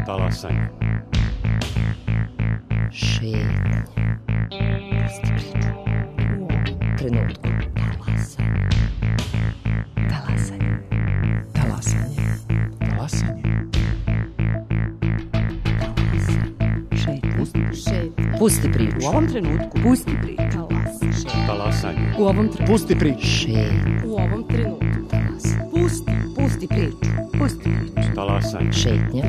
Talasanje. Šetnja. Pusti priču. U ovom trenutku. Talasanje. Talasanje. Talasanje. Šetnja. Pusti priču. U ovom trenutku. Pusti priču. Talasanje. U ovom trenutku. Pusti priču. Šetnja. U ovom trenutku. Pusti priču. Pusti priču. Talasanje. Šetnja.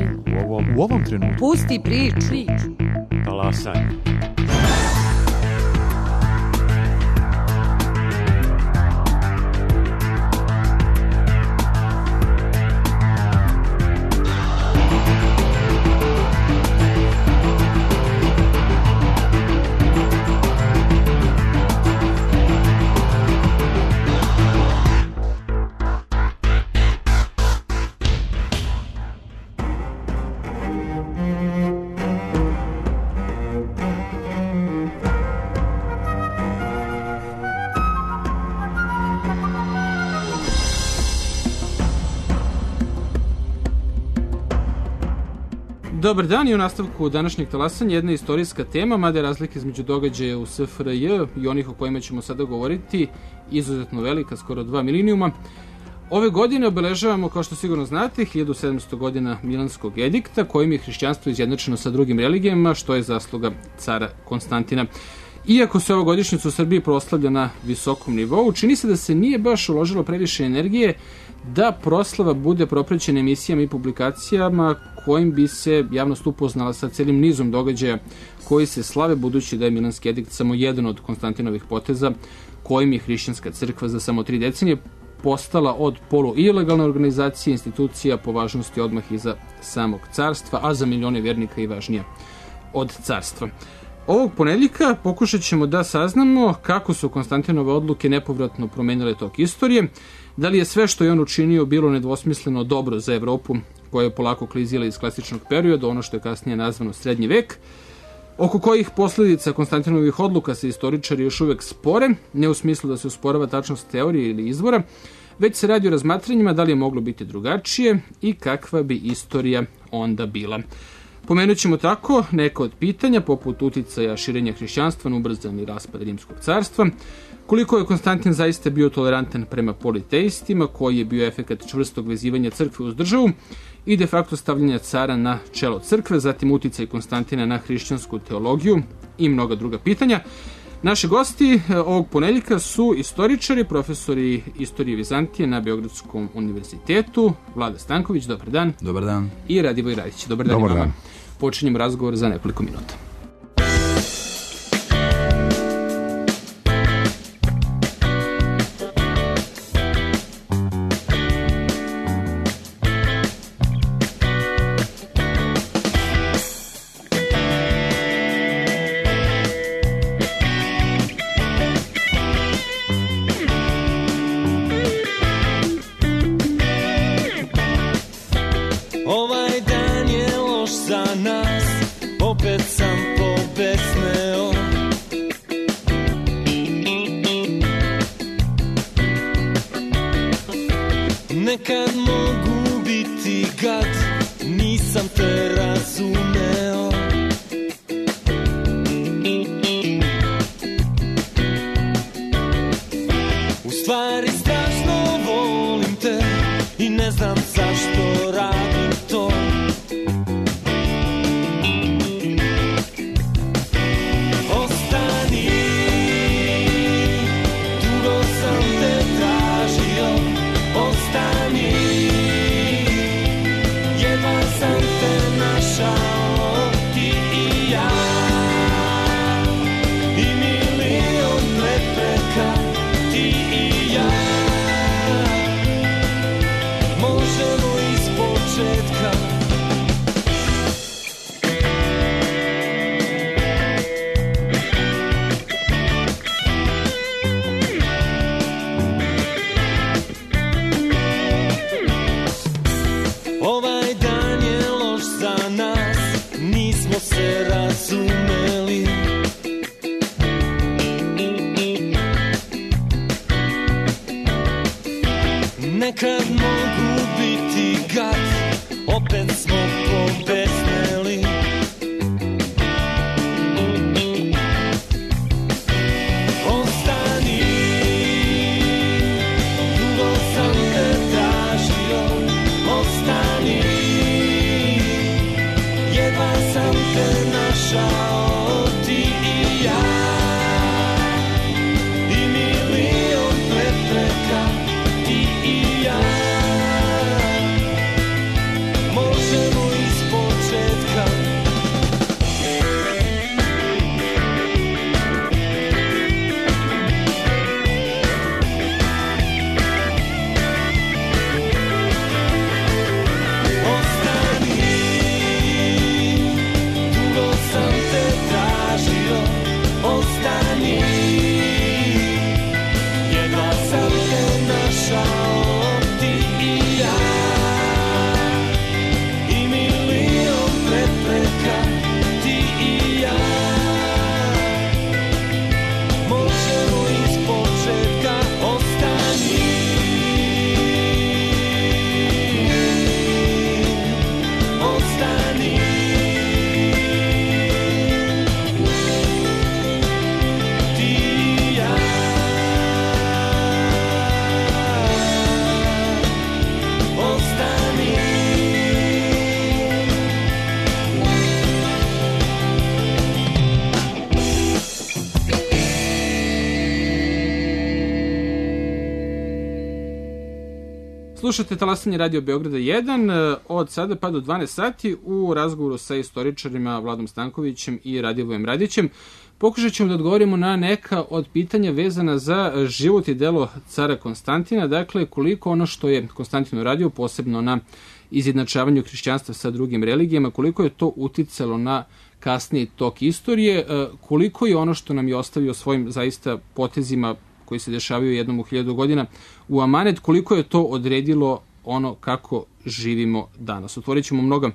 U ovom trenutku. Pusti priču. Talasanje. Dobar dan i u nastavku današnjeg talasanja jedna istorijska tema, mada je razlika između događaja u SFRJ i onih o kojima ćemo sada govoriti izuzetno velika, skoro 2 milenijuma. Ove godine obeležavamo, kao što sigurno znate, 1700 godina Milanskog edikta, kojim je hrišćanstvo izjednačeno sa drugim religijama, što je zasluga cara Konstantina. Iako se ova godišnjica u Srbiji proslavlja na visokom nivou, čini se da se nije baš uložilo previše energije da proslava bude propraćena emisijama i publikacijama kojim bi se javnost upoznala sa celim nizom događaja koji se slave, budući da je Milanski edikt samo jedan od Konstantinovih poteza kojim je hrišćanska crkva za samo 3 decenije postala od polu-ilegalne organizacije institucija po važnosti odmah iza samog carstva, a za milione vjernika i važnija od carstva. Ovog ponedjeljka pokušat ćemo da saznamo kako su Konstantinove odluke nepovratno promenile tok istorije, da li je sve što je on učinio bilo nedvosmisleno dobro za Evropu, koja je polako klizila iz klasičnog perioda, ono što je kasnije nazvano srednji vek, oko kojih posljedica Konstantinovih odluka se istoričari još uvek spore, ne u smislu da se usporava tačnost teorije ili izvora, već se radi o razmatranjima da li je moglo biti drugačije i kakva bi istorija onda bila. Pomenut ćemo tako neka od pitanja, poput uticaja širenja hrišćanstva na ubrzani raspad Rimskog carstva, koliko je Konstantin zaista bio tolerantan prema politeistima, koji je bio efekat čvrstog vezivanja crkve uz državu i de facto stavljanja cara na čelo crkve, zatim uticaj Konstantina na hrišćansku teologiju i mnoga druga pitanja. Naši gosti ovog ponedjeljka su istoričari, profesori istorije Vizantije na Beogradskom univerzitetu, Vlada Stanković, dobar dan. Dobar dan. I Radivoj Radić, dobar dan. Dobar dan. Počinjemo razgovor za nekoliko minuta. Nekad mogu biti gad, nisam te razumeo. U stvari strašno volim te i ne znam zašto radim to. Ostani, dugo sam te tražio. Ostani, jedva sam te našao, ti i ja. I milion prepreka, ti i ja. Možemo iz početka. Ovaj dan je loš za nas, nismo se razumeli. Nekad mogu biti gad, opet smo pobesneli. Slušate Talasanje Radio Beograda 1 od sada pa do 12 sati u razgovoru sa istoričarima Vladom Stankovićem i Radivojem Radićem. Pokušat ćemo da odgovorimo na neka od pitanja vezana za život i delo cara Konstantina, dakle koliko ono što je Konstantin uradio, posebno na izjednačavanju hrišćanstva sa drugim religijama, koliko je to uticalo na kasniji tok istorije, koliko je ono što nam je ostavio svojim zaista potezima koji se dešavaju jednom u 1000 godina u amanet, koliko je to odredilo ono kako živimo danas. Otvorit ćemo mnoga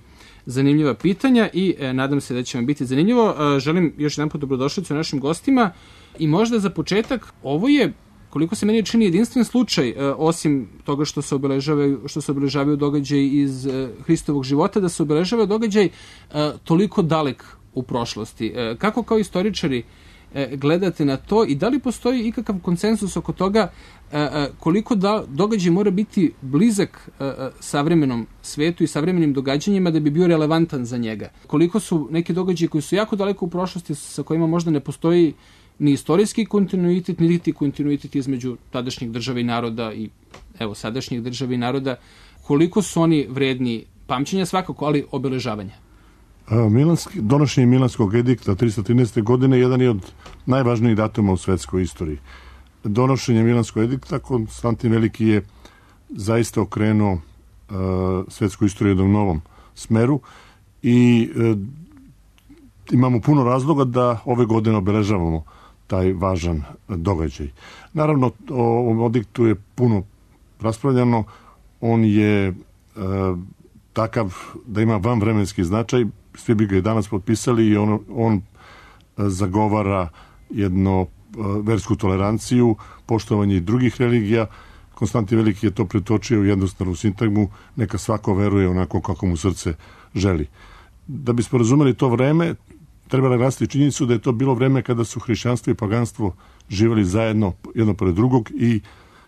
zanimljiva pitanja i nadam se da će vam biti zanimljivo. Želim još jedan put dobrodošlicu našim gostima i možda za početak, ovo je, koliko se meni čini, jedinstven slučaj, osim toga što se obeležavaju događaj iz Hristovog života, da se obeležava događaj toliko dalek u prošlosti. Kako kao istoričari gledate na to i da li postoji ikakav konsensus oko toga koliko događaj mora biti blizak savremenom svetu i savremenim događanjima da bi bio relevantan za njega? Koliko su neki događaji koji su jako daleko u prošlosti, sa kojima možda ne postoji ni istorijski kontinuitet, niti kontinuitet između tadašnjih država i naroda i sadašnjih država i naroda, koliko su oni vredni pamćenja svakako, ali obeležavanja? Donošenje Milanskog edikta 313. godine jedan je od najvažnijih datuma u svetskoj istoriji. Donošenje Milanskog edikta Konstantin Veliki je zaista okrenuo svetsku istoriju u jednom novom smeru i imamo puno razloga da ove godine obeležavamo taj važan događaj. Naravno, o ovom ediktu je puno raspravljano. On je takav da ima vanvremenski značaj. Svi bi ga i danas potpisali i on zagovara jednu versku toleranciju, poštovanje drugih religija. Konstantin Veliki je to pretočio u jednostavnu sintagmu, neka svako veruje onako kako mu srce želi. Da bismo razumeli to vreme, treba naglasiti činjenicu da je to bilo vreme kada su hrišćanstvo i paganstvo živjeli zajedno jedno pored drugog i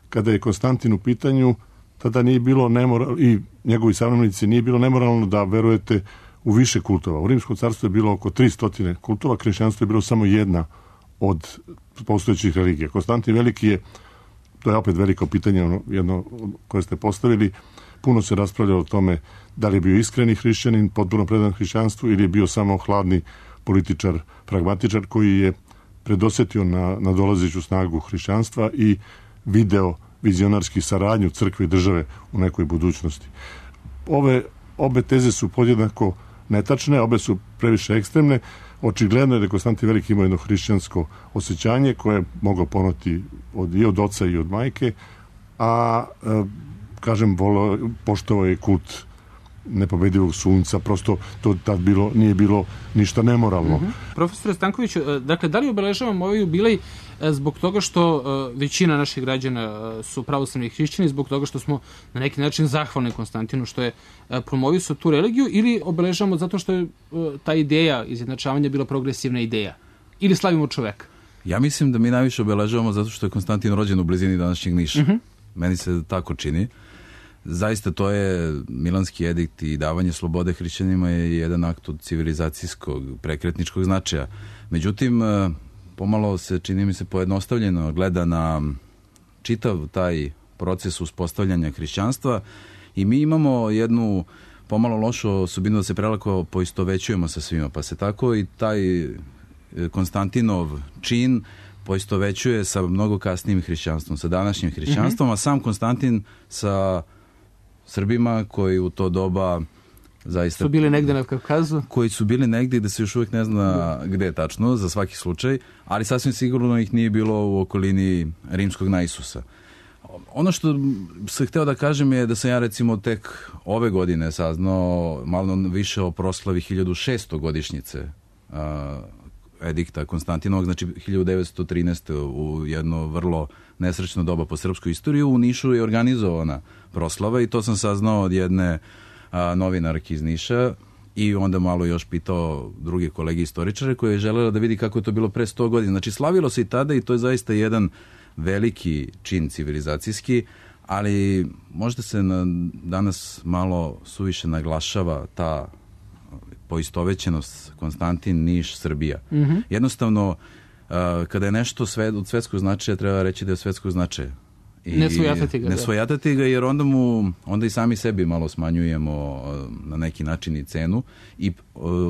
kada je Konstantin u pitanju, tada nije bilo nemoralno, i njegovi savremenici nije bilo nemoralno da verujete u više kultova. U Rimskom carstvu je bilo oko 300 kultova, hrišćanstvo je bilo samo jedna od postojećih religija. Konstantin Veliki je, to je opet veliko pitanje, jedno koje ste postavili, puno se raspravljalo o tome da li je bio iskreni hrišćanin, potpuno predan hrišćanstvu ili je bio samo hladni političar, pragmatičar koji je predosetio na dolazeću snagu hrišćanstva i video vizionarski saradnju crkve i države u nekoj budućnosti. Obe teze su podjednako netačne, obe su previše ekstremne. Očigledno je da Konstantin Veliki imao jedno hrišćansko osjećanje koje je mogao ponoti i od oca i od majke, a poštovao je kult nepobedivog sunca, prosto to tad nije bilo ništa nemoralno. Profesore Stankoviću, dakle, da li obeležavamo ovaj jubilej zbog toga što većina naših građana su pravoslavni hrišćani, zbog toga što smo na neki način zahvalni Konstantinu što je promovisao tu religiju, ili obeležavamo zato što je ta ideja izjednačavanja bila progresivna ideja? Ili slavimo čoveka? Ja mislim da mi najviše obeležavamo zato što je Konstantin rođen u blizini današnjeg Niša. Meni se tako čini. Zaista to je Milanski edikt i davanje slobode hrišćanima je jedan akt od civilizacijskog, prekretničkog značaja. Međutim, pomalo se, čini mi se, pojednostavljeno gleda na čitav taj proces uspostavljanja hrišćanstva i mi imamo jednu pomalo lošu osobinu da se prelako poistovećujemo sa svima, pa se tako i taj Konstantinov čin poistovećuje sa mnogo kasnijim hrišćanstvom, sa današnjim hrišćanstvom, a sam Konstantin sa Srbima koji u to doba zaista su bili negde na Kavkazu, koji su bili negde da se još uvijek ne zna gde tačno, za svaki slučaj, ali sasvim sigurno ih nije bilo u okolini rimskog Naisusa. Ono što sam hteo da kažem je da sam ja recimo tek ove godine saznao malo više o proslavi 1600 godišnjice edikta Konstantinovog, znači 1913. u jedno vrlo nesrećno doba po srpskoj istoriji. U Nišu je organizovana proslava i to sam saznao od jedne novinarke iz Niša i onda malo još pitao druge kolege istoričare koje je želela da vidi kako je to bilo pre 100 godina. Znači slavilo se i tada i to je zaista jedan veliki čin civilizacijski, ali možda se danas malo suviše naglašava ta poistovećenost Konstantin, Niš, Srbija. Jednostavno, kada je nešto od svetskog značaja, treba reći da je od svetskog značaja. Ne svojatati ga. Ne svojatati ga, jer onda i sami sebi malo smanjujemo na neki način i cenu i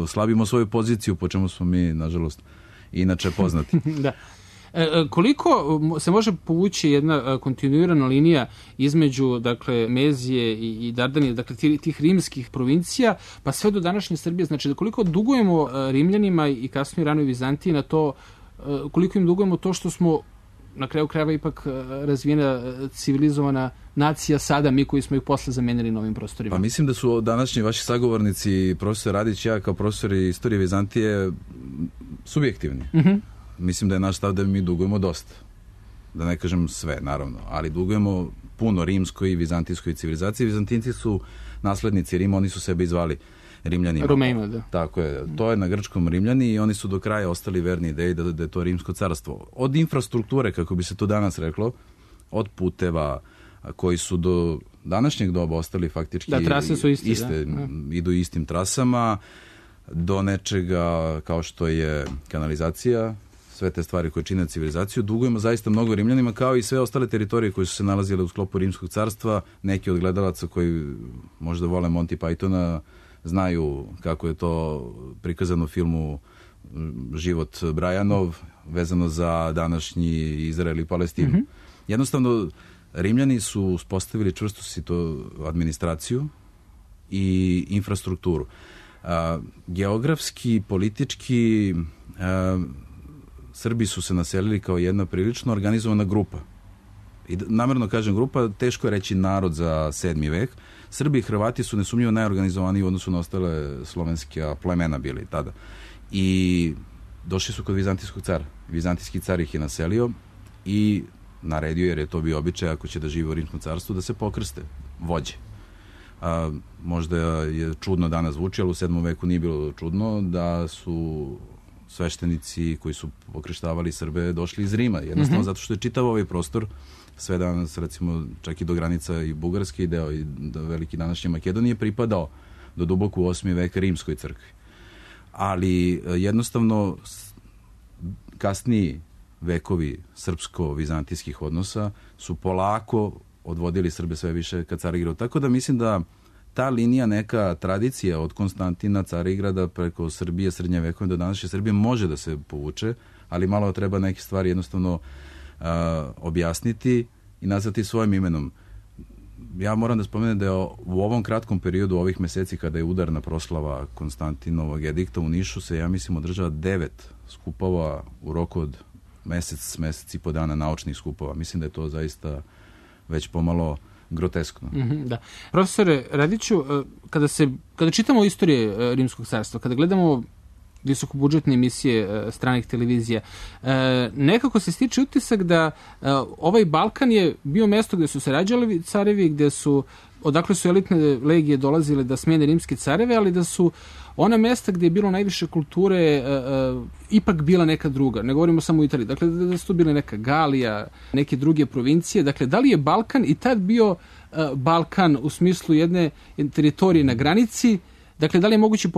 slabimo svoju poziciju, po čemu smo mi, nažalost, inače poznati. Da. Koliko se može povući jedna kontinuirana linija između, dakle, Mezije i Dardanije, dakle, tih rimskih provincija, pa sve do današnje Srbije, znači da koliko dugujemo Rimljanima i kasnije ranoj Vizantiji na to, koliko im dugujemo to što smo na kraju krajeva ipak razvijena civilizovana nacija sada, mi koji smo ih posle zamenili na ovim prostorima. Pa mislim da su današnji vaši sagovornici, profesor Radić i ja kao profesori istorije Vizantije, subjektivni. Mislim da je naš stav da mi dugujemo dosta. Da ne kažem sve, naravno, ali dugujemo puno rimskoj i vizantijskoj civilizaciji. Vizantinci su naslednici Rima, oni su sebe izvali Rimljanima. Romejima, da. Tako je, to je na grčkom Rimljani i oni su do kraja ostali verni ideji da je to rimsko carstvo. Od infrastrukture, kako bi se to danas reklo, od puteva koji su do današnjeg doba ostali faktički da, trase su iste, idu istim trasama, do nečega kao što je kanalizacija, sve te stvari koje čine civilizaciju, dugujemo zaista mnogo Rimljanima, kao i sve ostale teritorije koje su se nalazile u sklopu Rimskog carstva. Neki od gledalaca koji možda vole Monty Pythona znaju kako je to prikazano u filmu Život Brajanov, vezano za današnji Izrael i Palestinu. Jednostavno, Rimljani su uspostavili čvrstu administraciju i infrastrukturu. Geografski, politički, Srbi su se naselili kao jedna prilično organizovana grupa. I namjerno kažem grupa, teško je reći narod za 7. vek. Srbi i Hrvati su nesumnjivo najorganizovaniji u odnosu na ostale slovenske plemena bili tada. I došli su kod vizantijskog cara. Vizantijski car ih je naselio i naredio, jer je to bio običaj, ako će da žive u Rimskom carstvu, da se pokrste vođe. Možda je čudno danas zvuči, ali u 7. veku nije bilo čudno da su sveštenici koji su pokreštavali Srbe došli iz Rima. Jednostavno zato što je čitav ovaj prostor, sve danas, recimo, čak i do granica i Bugarske i deo i do veliki današnje Makedonije, pripadao do duboko u 8. vek Rimskoj crkvi. Ali jednostavno kasniji vekovi srpsko-vizantijskih odnosa su polako odvodili Srbe sve više ka Carigradu. Tako da mislim da ta linija, neka tradicija od Konstantina, Carigrada preko Srbije, srednje vekove do današnje Srbije može da se povuče, ali malo treba neke stvari jednostavno objasniti i nazvati svojim imenom. Ja moram da spomenem da je u ovom kratkom periodu, ovih meseci, kada je udarna proslava Konstantinovog edikta u Nišu, se, ja mislim, održava 9 skupova u roku od mesec i po dana, naučnih skupova. Mislim da je to zaista već pomalo groteskno. Da. Profesore Radiću, kada čitamo istorije Rimskog carstva, kada gledamo visokobudžetne emisije stranih televizija, nekako se stiče utisak da ovaj Balkan je bio mesto gde su se rađali carevi, odakle su elitne legije dolazile da smene rimske careve, ali da su ona mesta gde je bilo najviše kulture ipak bila neka druga. Ne govorimo samo o Italiji. Dakle, da su to bile neka Galija, neke druge provincije. Dakle, da li je Balkan i tad bio Balkan u smislu jedne teritorije na granici? Dakle, da li je moguće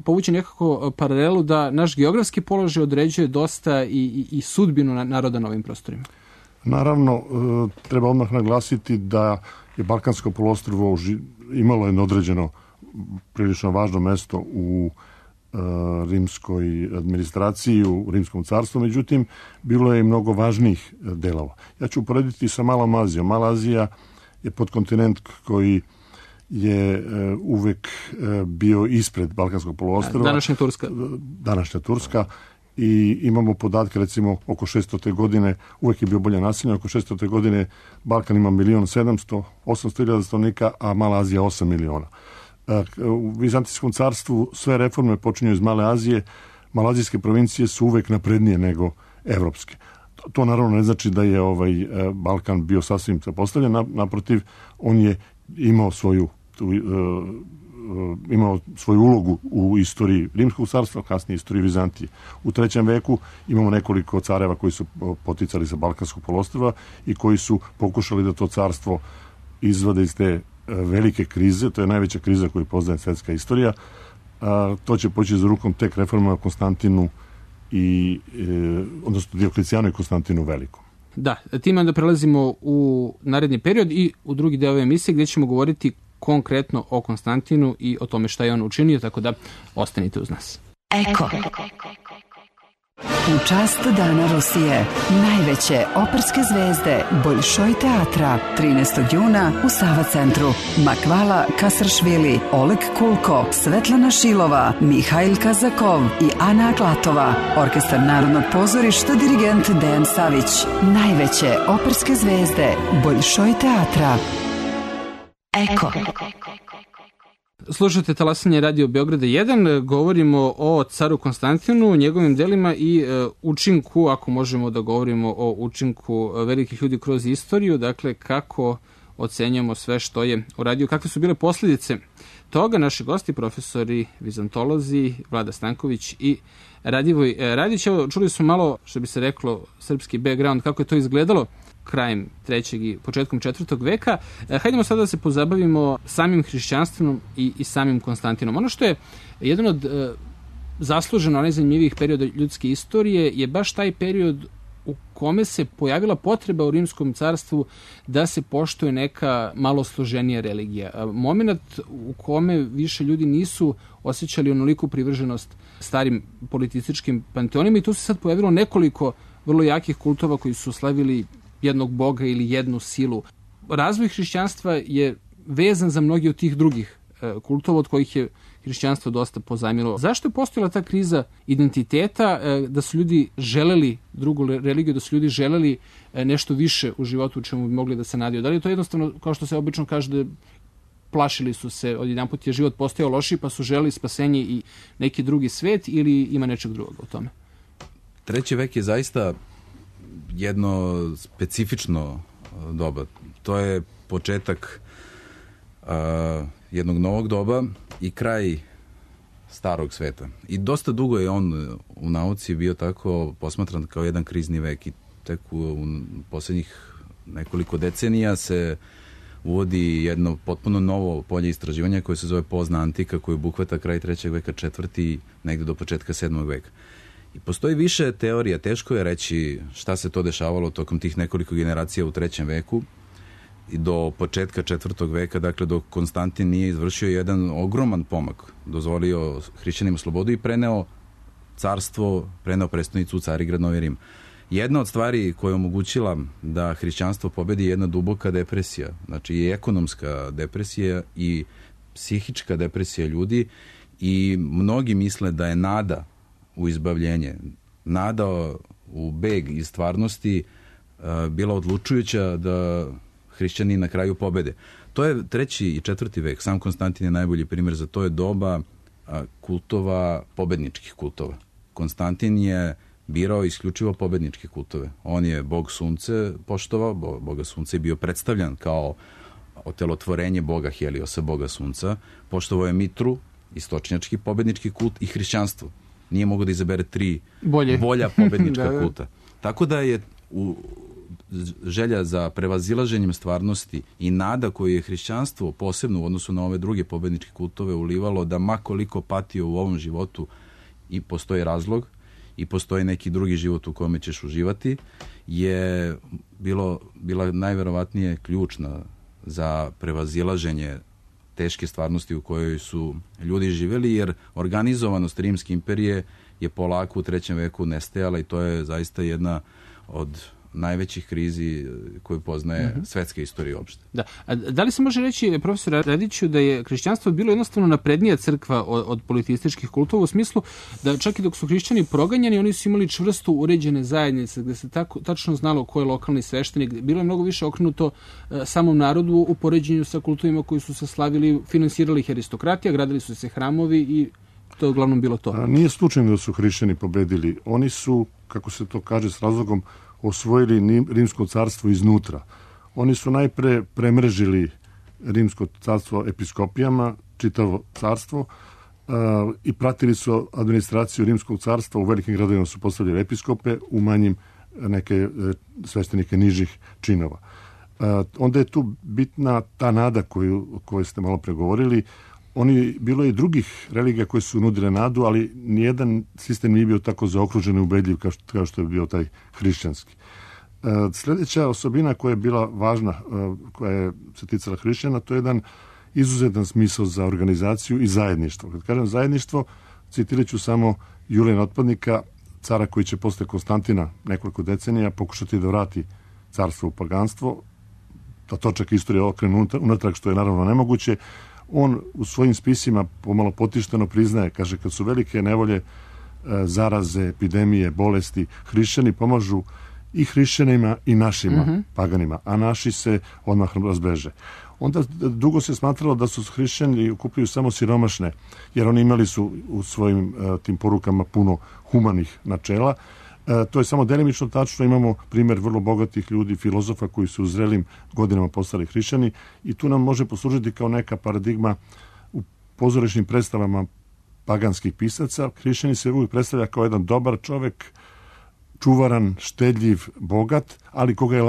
povući nekako paralelu da naš geografski položaj određuje dosta i sudbinu naroda na ovim prostorima? Naravno, treba odmah naglasiti da je Balkansko poluostrvo imalo jedno određeno prilično važno mesto u rimskoj administraciji, u Rimskom carstvu, međutim, bilo je i mnogo važnijih delova. Ja ću uporediti sa Malom Azijom. Mala Azija je podkontinent koji je uvek bio ispred Balkanskog poluostrva. Današnja Turska. I imamo podatke, recimo, oko 600. godine, uvek je bio bolje naseljen, oko 600. godine Balkan ima 1.700.000 stanovnika, a Mala Azija 8 miliona. U Vizantijskom carstvu sve reforme počinju iz Male Azije. Malazijske provincije su uvek naprednije nego evropske. To naravno ne znači da je Balkan bio sasvim zapostavljen, naprotiv, on je imao svoju ulogu u istoriji Rimskog carstva, kasnije istoriji Vizantije. U 3. veku imamo nekoliko careva koji su poticali sa Balkanskog poluostrva i koji su pokušali da to carstvo izvade iz te velike krize. To je najveća kriza koju poznaje svetska istorija. To će poći za rukom tek reformama Konstantinu odnosno Dioklecijanu i Konstantinu Velikom. Da, time onda prelazimo u naredni period i u drugi deo ove emisije gdje ćemo govoriti konkretno o Konstantinu i o tome šta je on učinio, tako da ostanite uz nas. Eko. U čast Dana Rusije, najveće operske zvezde Bolšoj teatra, 13. juna u Sava centru. Makvala Kasaršvili, Oleg Kulko, Svetlana Šilova, Mihajl Kazakov i Ana Aklatova. Orkestar Narodnog pozorišta, dirigent Dejan Savić. Najveće operske zvezde Bolšoj teatra. Eko. Slušajte talasanje Radio Beograda 1, govorimo o caru Konstantinu, njegovim delima i učinku, ako možemo da govorimo o učinku velikih ljudi kroz istoriju, dakle kako ocenjamo sve što je uradio, kakve su bile posljedice toga. Naši gosti, profesori, vizantolozi, Vlada Stanković i Radivoj Radić. Evo, čuli smo malo, što bi se reklo, srpski background, kako je to izgledalo krajem 3. i početkom 4. veka. Hajdemo sada da se pozabavimo samim hrišćanstvom i samim Konstantinom. Ono što je jedan od zasluženo najzanimljivijih perioda ljudske istorije je baš taj period u kome se pojavila potreba u Rimskom carstvu da se poštuje neka malo složenija religija. Moment u kome više ljudi nisu osjećali onoliku privrženost starim politističkim panteonima i tu se sad pojavilo nekoliko vrlo jakih kultova koji su slavili jednog boga ili jednu silu. Razvoj hrišćanstva je vezan za mnogi od tih drugih kultova od kojih je hrišćanstvo dosta pozajmilo. Zašto je postojala ta kriza identiteta, da su ljudi želeli drugu religiju, da su ljudi želeli nešto više u životu u čemu bi mogli da se nadiju? Da li je to jednostavno, kao što se obično kaže, da plašili su se, odjedanput je život postojao lošiji pa su želeli spasenje i neki drugi svet, ili ima nečeg drugog u tome? 3. vek je zaista jedno specifično doba. To je početak jednog novog doba i kraj starog sveta. I dosta dugo je on u nauci bio tako posmatran kao jedan krizni vek i tek u posljednjih nekoliko decenija se uvodi jedno potpuno novo polje istraživanja koje se zove pozna antika, koje obuhvata kraj 3. veka, 4. negde do početka 7. veka. I postoji više teorija, teško je reći šta se to dešavalo tokom tih nekoliko generacija u 3. veku i do početka 4. veka, dakle dok Konstantin nije izvršio jedan ogroman pomak, dozvolio hrišćanima slobodu i preneo carstvo, preneo prestonicu u Carigrad, Novi Rim. Jedna od stvari koja je omogućila da hrišćanstvo pobedi je jedna duboka depresija, znači i ekonomska depresija i psihička depresija ljudi i mnogi misle da je nada u izbavljenje, nada u beg iz stvarnosti bila odlučujuća da hrišćani na kraju pobede. To je 3. i 4. vek. Sam Konstantin je najbolji primjer za to, je doba kultova, pobedničkih kultova. Konstantin je birao isključivo pobedničke kultove. On je bog sunce poštovao, boga sunce je bio predstavljan kao otelotvorenje boga Heliosa, boga sunca. Poštovao je Mitru, istočnjački pobednički kult, i hrišćanstvo. Nije mogao da izabere 3 bolja pobednička kulta. Tako da je želja za prevazilaženjem stvarnosti i nada koju je hrišćanstvo posebno u odnosu na ove druge pobedničke kultove ulivalo, da ma koliko patio u ovom životu i postoji razlog i postoji neki drugi život u kome ćeš uživati, je bila najverovatnije ključna za prevazilaženje teške stvarnosti u kojoj su ljudi živjeli, jer organizovanost Rimske imperije je polako u 3. veku nestajala i to je zaista jedna od najvećih krizi koju poznaje svetska istorija uopšte. Da. A da li se može reći, profesor Radiću, da je hrišćanstvo bilo jednostavno naprednija crkva od politističkih kultova, u smislu da čak i dok su hrišćani proganjani, oni su imali čvrsto uređene zajednice, gde se tačno znalo ko je lokalni sveštenik, bilo je mnogo više okrenuto samom narodu u poređenju sa kultovima koji su se slavili, finansirali ih aristokratija, gradili su se hramovi i to je uglavnom bilo to. Nije slučajno da su hrišćani pobedili. Oni su, kako se to kaže s razlogom, osvojili Rimsko carstvo iznutra. Oni su najpre premrežili Rimsko carstvo episkopijama, čitavo carstvo, i pratili su administraciju Rimskog carstva. U velikim gradovima su postavljali episkope, u manjim neke sveštenike nižih činova. Onda je tu bitna ta nada koju ste malo pregovorili. Bilo je i drugih religija koje su nudile nadu, ali nijedan sistem nije bio tako zaokružen i ubedljiv kao što je bio taj hrišćanski. Sljedeća osobina koja je bila važna, koja je se ticala hrišćana, to je jedan izuzetan smisao za organizaciju i zajedništvo. Kad kažem zajedništvo, citirat ću samo Julijana Otpadnika, cara koji će posle Konstantina nekoliko decenija pokušati da vrati carstvo u paganstvo, da točak istorije okrenu unatrag, što je naravno nemoguće. On u svojim spisima pomalo potišteno priznaje, kaže, kad su velike nevolje, zaraze, epidemije, bolesti, hrišćani pomažu i hrišćanima i našima paganima, a naši se odmah razbeže. Onda dugo se smatralo da su hrišćani okupljaju samo siromašne, jer oni imali su u svojim tim porukama puno humanih načela. To je samo delimično tačno, imamo primjer vrlo bogatih ljudi, filozofa koji su u zrelim godinama postali hrišćani i tu nam može poslužiti kao neka paradigma u pozorišnim predstavama paganskih pisaca. Hrišćani se uvijek predstavlja kao jedan dobar čovek, čuvaran, štedljiv, bogat, ali koga je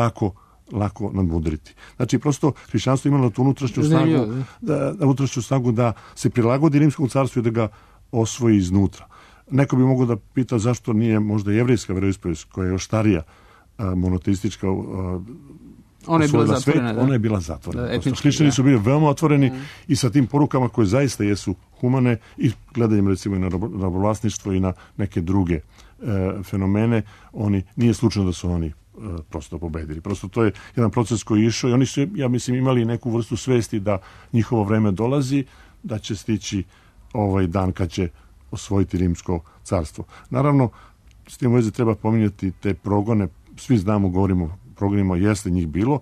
lako nadmudriti. Znači, prosto hrišćanstvo imalo tu unutrašnju snagu da se prilagodi rimskom carstvu i da ga osvoji iznutra. Neko bi mogao da pita zašto nije možda jevrijska veroispovest, koja je još starija, monoteistička, ona je bila zatvorena. Ona je bila zatvorena. Hrišćani su bili veoma otvoreni i sa tim porukama koje zaista jesu humane i gledanjem recimo i na robovlasništvo i na neke druge fenomene, nije slučajno da su oni prosto pobedili. Prosto to je jedan proces koji je išao i oni su, ja mislim, imali neku vrstu svesti da njihovo vreme dolazi, da će stići ovaj dan kad će osvojiti rimsko carstvo. Naravno, s tim u vezi treba pominjati te progone, svi znamo, govorimo o progonima, jeste njih bilo,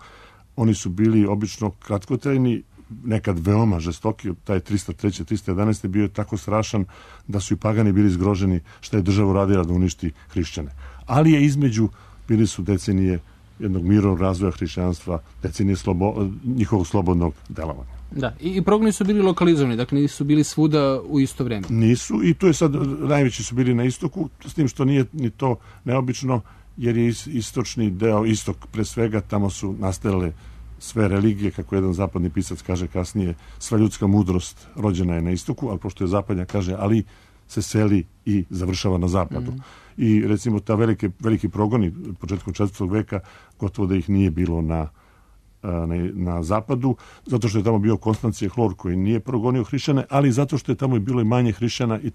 oni su bili obično kratkotrajni, nekad veoma žestoki, taj 303. 311. bio je tako strašan da su i pagani bili zgroženi šta je država radila da uništi hrišćane. Ali je između, bili su decenije jednog mirovnog razvoja hrišćanstva, decenije njihovog slobodnog delovanja. Da, i progoni su bili lokalizovani, dakle nisu bili svuda u isto vreme. Nisu, i tu je sad, najveći su bili na istoku, s tim što nije ni to neobično, jer je istočni deo, istok pre svega, tamo su nastajale sve religije, kako jedan zapadni pisac kaže kasnije, sva ljudska mudrost rođena je na istoku, ali pošto je zapadnja, kaže, ali se seli i završava na zapadu. I recimo ta veliki progoni početkom 4. veka, gotovo da ih nije bilo na zapadu, zato što je tamo bio Konstancije Hlor koji nije progonio hrišćane, ali zato što je tamo bilo i manje hrišćana i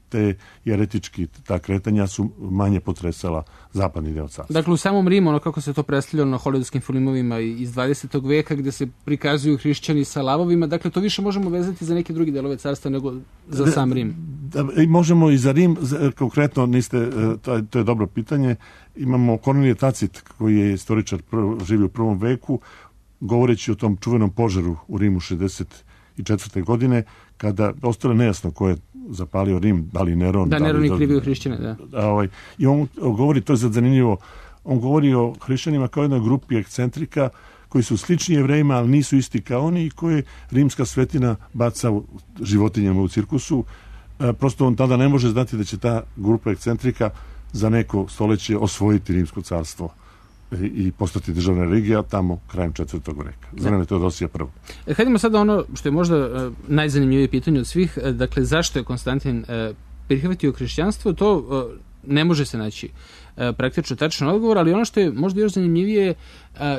te jeretički, ta kretanja su manje potresala zapadni deo carstva. Dakle, u samom Rimu, ono kako se to predstavljalo na hollywoodskim filmovima iz 20. veka, gde se prikazuju hrišćani sa lavovima, dakle, to više možemo vezati za neke druge delove carstva nego za sam Rim. Možemo i za Rim, konkretno to je dobro pitanje. Imamo Kornelije Tacit, koji je istoričar, živio u 1. veku, govoreći o tom čuvenom požaru u Rimu 64. godine, kada ostalo nejasno ko je zapalio Rim, da li Neron. Da, Neron je krivio hrišćane, da. I on govori, to je zanimljivo, on govori o hrišćanima kao jednoj grupi ekscentrika koji su slični Jevrejima, ali nisu isti kao oni i koje rimska svetina baca životinjama u cirkusu. Prosto on tada ne može znati da će ta grupa ekscentrika za neko stoljeće osvojiti rimsko carstvo i postati državna religija tamo krajem 4. veka. Za vreme Teodosija I. Hajdemo sada ono što je možda najzanimljivije pitanje od svih, dakle zašto je Konstantin prihvatio hrišćanstvo, to ne može se naći praktično tačan odgovor, ali ono što je možda još zanimljivije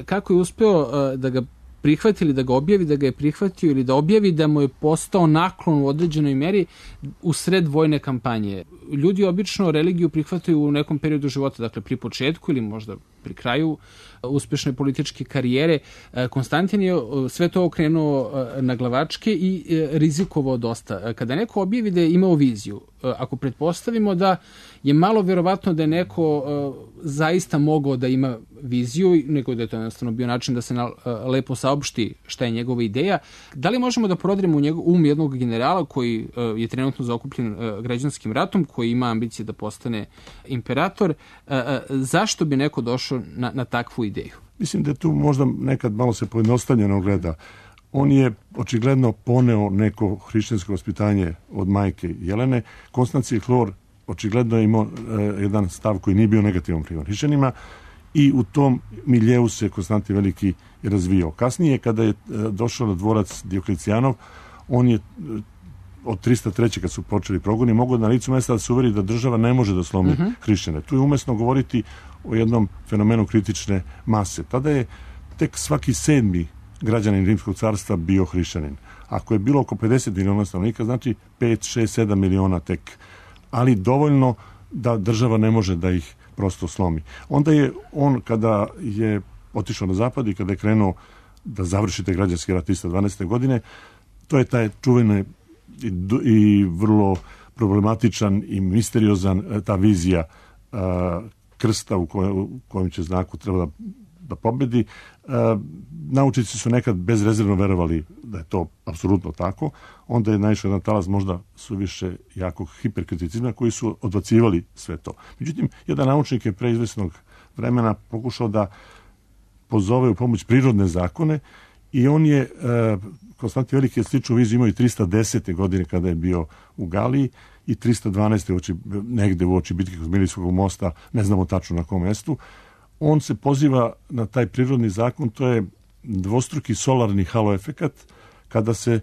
kako je uspeo da ga prihvati ili da ga objavi, da ga je prihvatio ili da objavi da mu je postao naklon u određenoj meri u sred vojne kampanje. Ljudi obično religiju prihvataju u nekom periodu života, dakle pri početku ili možda pri kraju uspešne političke karijere. Konstantin je sve to okrenuo na glavačke i rizikovao dosta. Kada neko objavi da je imao viziju, ako pretpostavimo da je malo verovatno da je neko zaista mogao da ima viziju, nego da je to jednostavno bio način da se lepo saopšti šta je njegova ideja, da li možemo da prodremo u jednog generala koji je trenutno zaokupljen građanskim ratom, koji ima ambicije da postane imperator, zašto bi neko došao na takvu ideju? Mislim da tu možda nekad malo se pojednostavljeno gleda. On je očigledno poneo neko hrišćansko vaspitanje od majke Jelene. Konstancije Hlor očigledno je imao jedan stav koji nije bio negativan prema hrišćanima i u tom miljeu se Konstantin Veliki razvijao. Kasnije, kada je došao na dvorac Dioklecijanov, on je od 303. kad su počeli progoni, mogao na licu mesta da se uveri da država ne može da slomi hrišćane. Tu je umesno govoriti o jednom fenomenu kritične mase. Tada je tek svaki 7. građanin Rimskog carstva bio hrišćanin. Ako je bilo oko 50 miliona stanovnika, znači 5, 6, 7 miliona tek. Ali dovoljno da država ne može da ih prosto slomi. Onda je on, kada je otišao na zapad i kada je krenuo da završi te građanski rat 312. godine, to je taj čuveni i vrlo problematičan i misteriozan ta vizija krsta u kojem će znaku treba da pobedi. Naučnici su nekad bezrezervno verovali da je to apsolutno tako. Onda je naišao jedan talas možda suviše jakog hiperkriticizma koji su odbacivali sve to. Međutim, jedan naučnik je pre izvesnog vremena pokušao da pozove u pomoć prirodne zakone i on je, Konstantin Veliki je sličnu viziju imao i 310. godine kada je bio u Galiji i 312. negde u oči bitke kod Milijskog mosta, ne znamo tačno na kom mestu. On se poziva na taj prirodni zakon, to je dvostruki solarni halo efekat, kada se,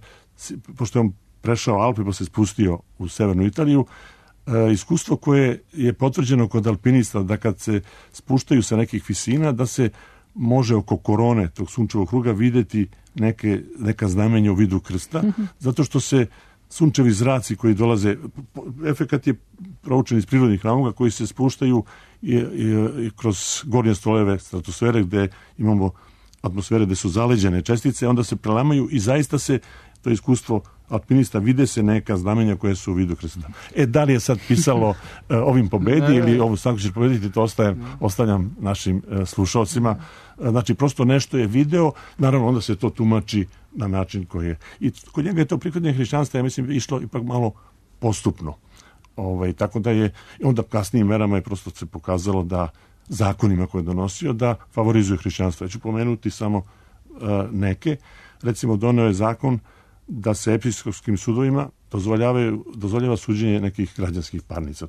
pošto je on prešao Alpe pa se spustio u severnu Italiju, iskustvo koje je potvrđeno kod alpinista da kad se spuštaju sa nekih visina, da se može oko korone tog sunčevog kruga videti neka znamenja u vidu krsta, zato što se sunčevi zraci koji dolaze, efekat je proučen iz prirodnih razloga koji se spuštaju i kroz gornje stoleve stratosfere gde imamo atmosfere gde su zaleđene čestice, onda se prelamaju i zaista se to iskustvo alpinista vide se neka znamenja koje su u vidu krsta. Da li je sad pisalo ovim pobedi ili ovu stanku ćeš pobediti, to ostavljam našim slušalcima. Znači, prosto nešto je video, naravno onda se to tumači na način koji je. I kod njega je to prihvatanje hrišćanstva, ja mislim, išlo ipak malo postupno. Tako da je, onda kasnijim merama je prosto se pokazalo da zakonima koje je donosio, da favorizuje hrišćanstvo. Ja ću pomenuti samo neke. Recimo, doneo je zakon da se episkopskim sudovima dozvoljava suđenje nekih građanskih parnica.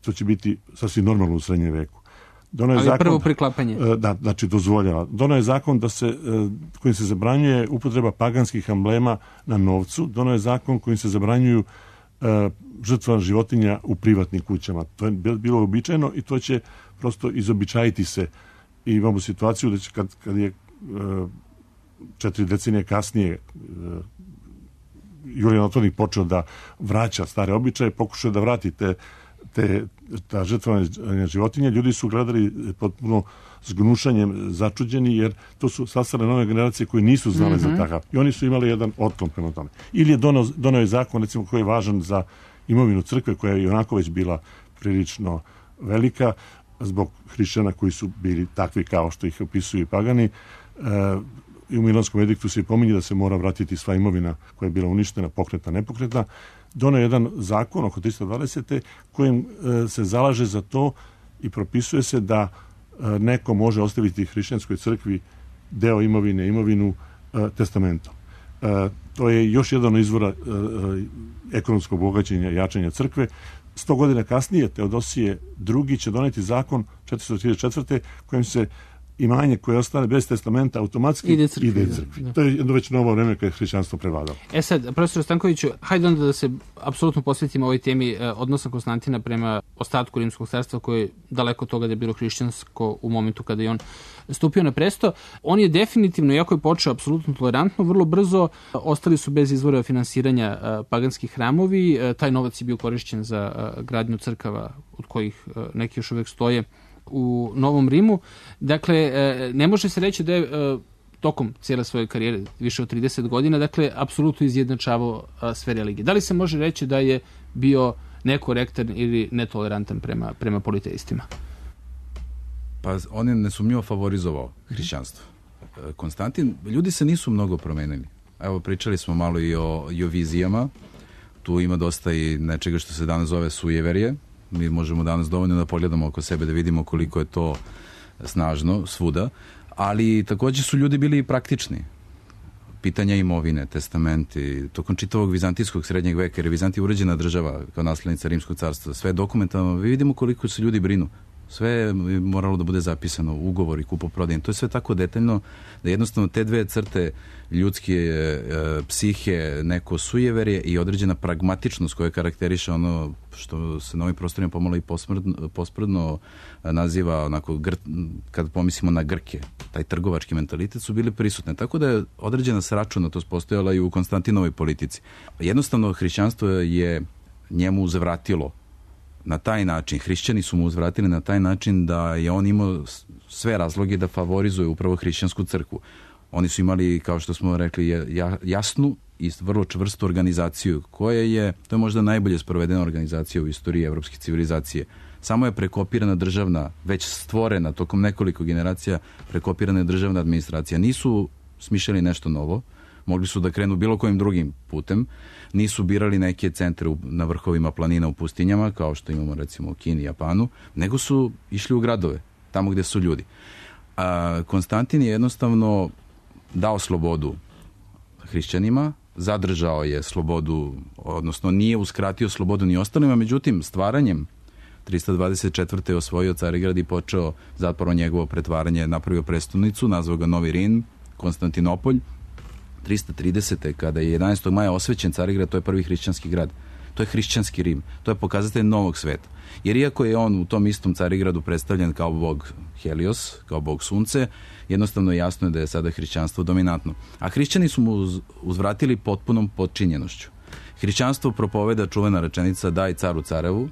To će biti sasvim normalno u srednjem veku. Ali zakon, prvo priklapanje. Da, znači dozvoljava. Doneo je zakon kojim se zabranjuje upotreba paganskih amblema na novcu. Doneo je zakon kojim se zabranjuju žrtva životinja u privatnim kućama. To je bilo običajno i to će prosto izobičajiti se. I imamo situaciju da će kad je 4 decenije kasnije Julijan Otvornik počeo da vraća stare običaje, pokušao da vrati ta žrtvovanje životinja, ljudi su gledali potpuno s gnušanjem začuđeni, jer to su sastale nove generacije koje nisu znale za takav. I oni su imali jedan otklon prema tome. Ili je doneo je zakon, recimo, koji je važan za imovinu crkve, koja je i onako već bila prilično velika, zbog hrišćana koji su bili takvi kao što ih opisuju i pagani. I u Milanskom ediktu se pominje da se mora vratiti sva imovina koja je bila uništena, pokretna, nepokretna. Doneo je jedan zakon oko 320. kojim se zalaže za to i propisuje se da neko može ostaviti hrišćanskoj crkvi deo imovinu testamentom. To je još jedan izvora ekonomskog bogaćenja i jačanja crkve. 100 godina kasnije Teodosije II će doneti zakon 434. kojim se imanje koje ostane bez testamenta automatski ide crkvi. To je jedno već novo vreme kada je hrišćanstvo prevladalo. Sad, profesor Stankoviću, hajde onda da se apsolutno posvetimo ovoj temi odnosa Konstantina prema ostatku Rimskog carstva, koje je daleko od toga da je bilo hrišćansko u momentu kada je on stupio na presto. On je definitivno, iako je počeo apsolutno tolerantno, vrlo brzo ostali su bez izvora finansiranja paganskih hramovi. Taj novac je bio korišćen za gradnju crkava, od kojih neki još uvek stoje u Novom Rimu. Dakle, ne može se reći da je tokom cijele svoje karijere, više od 30 godina, dakle, apsolutno izjednačavao sve religije. Da li se može reći da je bio nekorektan ili netolerantan prema politeistima? Pa on je nesumnjivo favorizovao hrišćanstvo. Konstantin, ljudi se nisu mnogo promenili. Evo, pričali smo malo i o vizijama. Tu ima dosta i nečega što se danas zove sujeverje. Mi možemo danas dovoljno da pogledamo oko sebe, da vidimo koliko je to snažno svuda, ali također su ljudi bili praktični. Pitanja imovine, testamenti, tokom čitavog vizantijskog srednjeg veka, jer je Vizantija uređena država kao naslednica Rimskog carstva, sve je dokumentarno, vidimo koliko se ljudi brinu. Sve je moralo da bude zapisano, ugovor i kupoprodaje. To je sve tako detaljno da jednostavno te dve crte ljudske psihe, neko sujeverje i određena pragmatičnost koja karakteriše ono što se na ovim prostorima pomalo i posprdno naziva onako, kad pomislimo na Grke, taj trgovački mentalitet, su bili prisutne. Tako da je određena sračunatost postojala i u Konstantinovoj politici. Jednostavno hrišćanstvo je njemu uzvratilo na taj način, hrišćani su mu uzvratili na taj način da je on imao sve razloge da favorizuje upravo hrišćansku crkvu. Oni su imali, kao što smo rekli, jasnu i vrlo čvrstu organizaciju, koja je, to je možda najbolje sprovedena organizacija u istoriji evropske civilizacije. Samo je prekopirana državna, već stvorena tokom nekoliko generacija, prekopirana je državna administracija. Nisu smišljali nešto novo, mogli su da krenu bilo kojim drugim putem, nisu birali neke centre na vrhovima planina u pustinjama, kao što imamo recimo u Kini i Japanu, nego su išli u gradove, tamo gde su ljudi. Konstantin je jednostavno dao slobodu hrišćanima, zadržao je slobodu, odnosno nije uskratio slobodu ni ostalima, međutim stvaranjem 324. je osvojio Carigrad i počeo zapravo njegovo pretvaranje, napravio prestolnicu, nazvao ga Novi Rim, Konstantinopolj. 330. kada je 11. maja osvećen Carigrad, to je prvi hrišćanski grad. To je hrišćanski Rim. To je pokazatelj novog sveta. Jer iako je on u tom istom Carigradu predstavljen kao bog Helios, kao bog sunce, jednostavno jasno je da je sada hrišćanstvo dominantno. A hrišćani su mu uzvratili potpunom podčinjenošću. Hrišćanstvo propoveda čuvena rečenica daj caru carevu,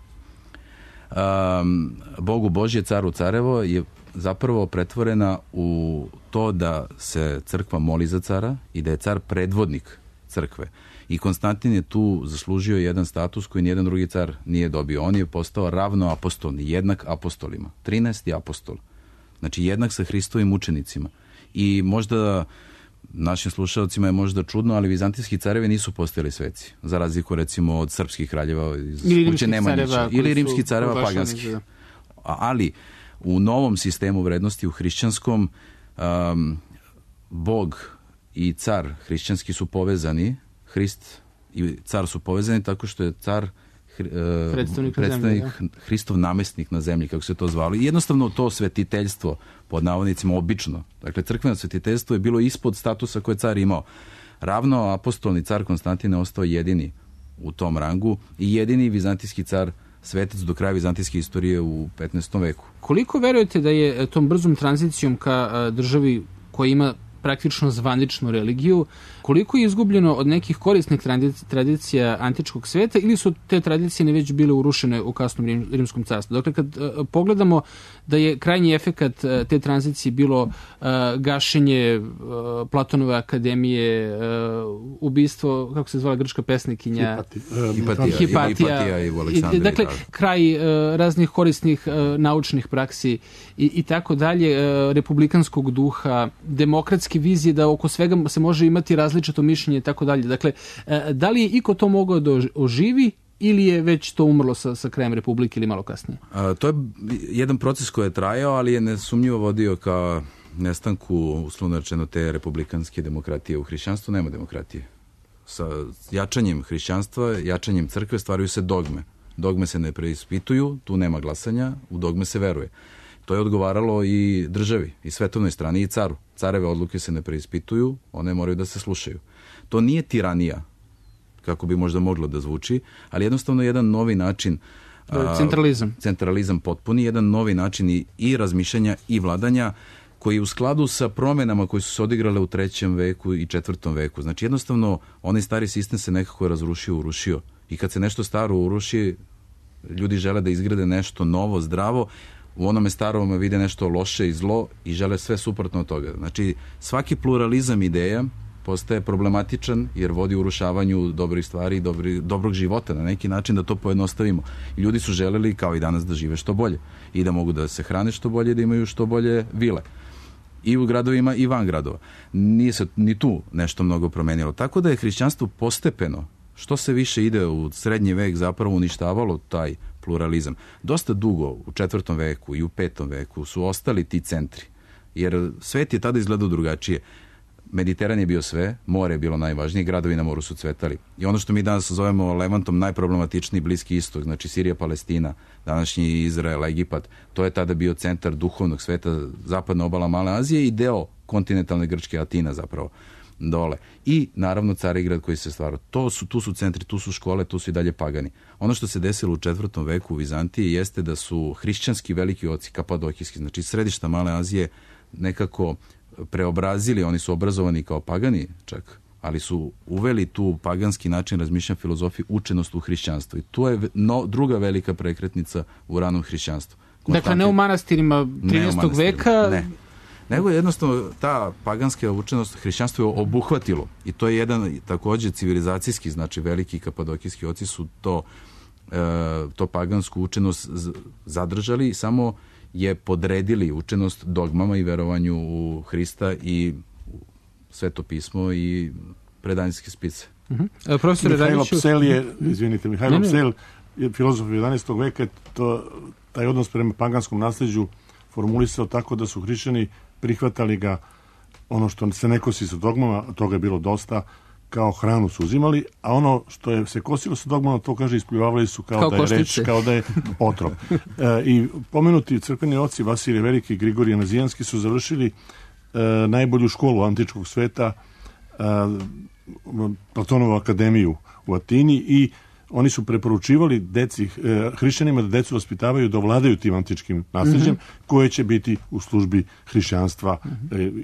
Bogu Božje caru carevo je zapravo pretvorena u to da se crkva moli za cara i da je car predvodnik crkve. I Konstantin je tu zaslužio jedan status koji nijedan drugi car nije dobio. On je postao ravnoapostolni, jednak apostolima. 13. apostol. Znači jednak sa Hristovim učenicima. I možda našim slušalcima je možda čudno, ali vizantijski carevi nisu postojali sveci. Za razliku recimo od srpskih kraljeva iz kuće Nemanjića. Ili rimskih careva paganskih. Ali u novom sistemu vrednosti, u hrišćanskom, Bog i car hrišćanski su povezani, Hrist i car su povezani tako što je car predstavnik Hristov namestnik na zemlji, kako se to zvalo. I jednostavno to svetiteljstvo, pod navodnicima obično, dakle crkveno svetiteljstvo je bilo ispod statusa koje car imao. Ravno apostolni car Konstantin je ostao jedini u tom rangu i jedini vizantijski car svetac do kraja vizantijske istorije u 15. veku. Koliko verujete da je tom brzom tranzicijom ka državi koja ima praktično zvaničnu religiju, koliko je izgubljeno od nekih korisnih tradicija antičkog sveta ili su te tradicije već bile urušene u kasnom rimskom carstvu? Dakle, kad pogledamo da je krajnji efekat te tranzicije bilo gašenje Platonove akademije, ubistvo, kako se zvala grčka pesnikinja? Hipatija i u Aleksandriji. Dakle, kraj raznih korisnih naučnih praksi i tako dalje, republikanskog duha, demokratske vizije da oko svega se može imati različito mišljenje i tako dalje. Dakle, da li je iko to mogao da oživi ili je već to umrlo sa krajem Republike ili malo kasnije? To je jedan proces koji je trajao, ali je nesumnjivo vodio ka nestanku, uslovno rečeno, te republikanske demokratije. U hrišćanstvu nema demokratije. Sa jačanjem hrišćanstva, jačanjem crkve stvaraju se dogme. Dogme se ne preispituju, tu nema glasanja, u dogme se veruje. To je odgovaralo i državi, i svetovnoj strani, i caru. Careve odluke se ne preispituju, one moraju da se slušaju. To nije tiranija, kako bi možda moglo da zvuči, ali jednostavno jedan novi način... Centralizam. Centralizam potpuni, jedan novi način i razmišljanja i vladanja, koji je u skladu sa promenama koje su se odigrale u 3. veku i 4. veku. Znači jednostavno, onaj stari sistem se nekako razrušio, urušio. I kad se nešto staro uruši, ljudi žele da izgrade nešto novo, zdravo, u onome starom vide nešto loše i zlo i žele sve suprotno od toga. Znači, svaki pluralizam ideja postaje problematičan jer vodi urušavanju dobrih stvari i dobrog života na neki način, da to pojednostavimo. I ljudi su želeli, kao i danas, da žive što bolje i da mogu da se hrane što bolje, da imaju što bolje vile. I u gradovima i van gradova. Nije se ni tu nešto mnogo promenilo. Tako da je hrišćanstvo postepeno, što se više ide u srednji vek, zapravo uništavalo taj pluralizam. Dosta dugo u 4. veku i u 5. veku su ostali ti centri. Jer svet je tada izgledao drugačije. Mediteran je bio sve, more je bilo najvažnije, gradovi na moru su cvetali. I ono što mi danas zovemo Levantom, najproblematičniji Bliski istok, znači Sirija, Palestina, današnji Izrael, Egipat, to je tada bio centar duhovnog sveta, zapadna obala Male Azije i deo kontinentalne Grčke, Atina zapravo, dole. I naravno Carigrad koji se stvarao. Tu su centri, tu su škole, tu su i dalje pagani. Ono što se desilo u 4. veku u Vizantiji jeste da su hrišćanski veliki oci, kapadokijski, znači središta Male Azije, nekako preobrazili, oni su obrazovani kao pagani čak, ali su uveli tu paganski način razmišljanja filozofije, učenost u hrišćanstvu. I tu je druga velika prekretnica u ranom hrišćanstvu. Dakle, ne u manastirima 13. veka? Ne. Nego jednostavno ta paganska učenost hrišćanstvo je obuhvatilo. I to je jedan također civilizacijski, znači veliki kapadokijski oci su to pagansku učenost zadržali, samo je podredili učenost dogmama i verovanju u Hrista i Sveto pismo i predanjske spice. Profesor Mihajlo Radiću... Psel Mihajlo Psel je filozof 11. veka, taj odnos prema paganskom nasljeđu formulisao tako da su hrišćani prihvatali ga, ono što se ne kosi sa dogmama, toga je bilo dosta, kao hranu su uzimali, a ono što je se kosilo sa dogmama, to kaže ispljuvavali su kao da je reč, kao da je otrov. I pomenuti crkveni oci Vasilije Veliki i Grigorije Nazijanski su završili najbolju školu antičkog sveta, Platonovu akademiju u Atini, i oni su preporučivali hrišćanima da decu vaspitavaju da ovladaju tim antičkim nasljeđem, koje će biti u službi hrišćanstva.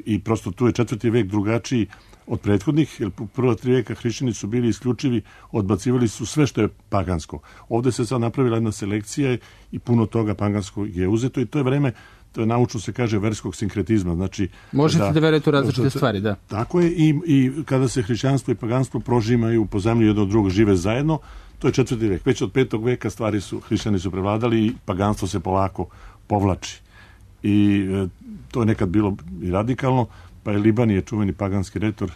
I prosto tu je 4. vek drugačiji od prethodnih, jer prva 3 veka hrišćani su bili isključivi, odbacivali su sve što je pagansko. Ovdje se sad napravila jedna selekcija i puno toga paganskog je uzeto i to je vreme, to je naučno se kaže verskog sinkretizma. Znači, možete da verujete u različite stvari, da. Tako je, i kada se hrišćanstvo i paganstvo prožimaju po zemlji jedno od drugog, žive zajedno, to je 4. vek. Već od 5. veka hrišćani su prevladali i paganstvo se polako povlači. I to je nekad bilo i radikalno, pa je Libanije, čuveni paganski retor,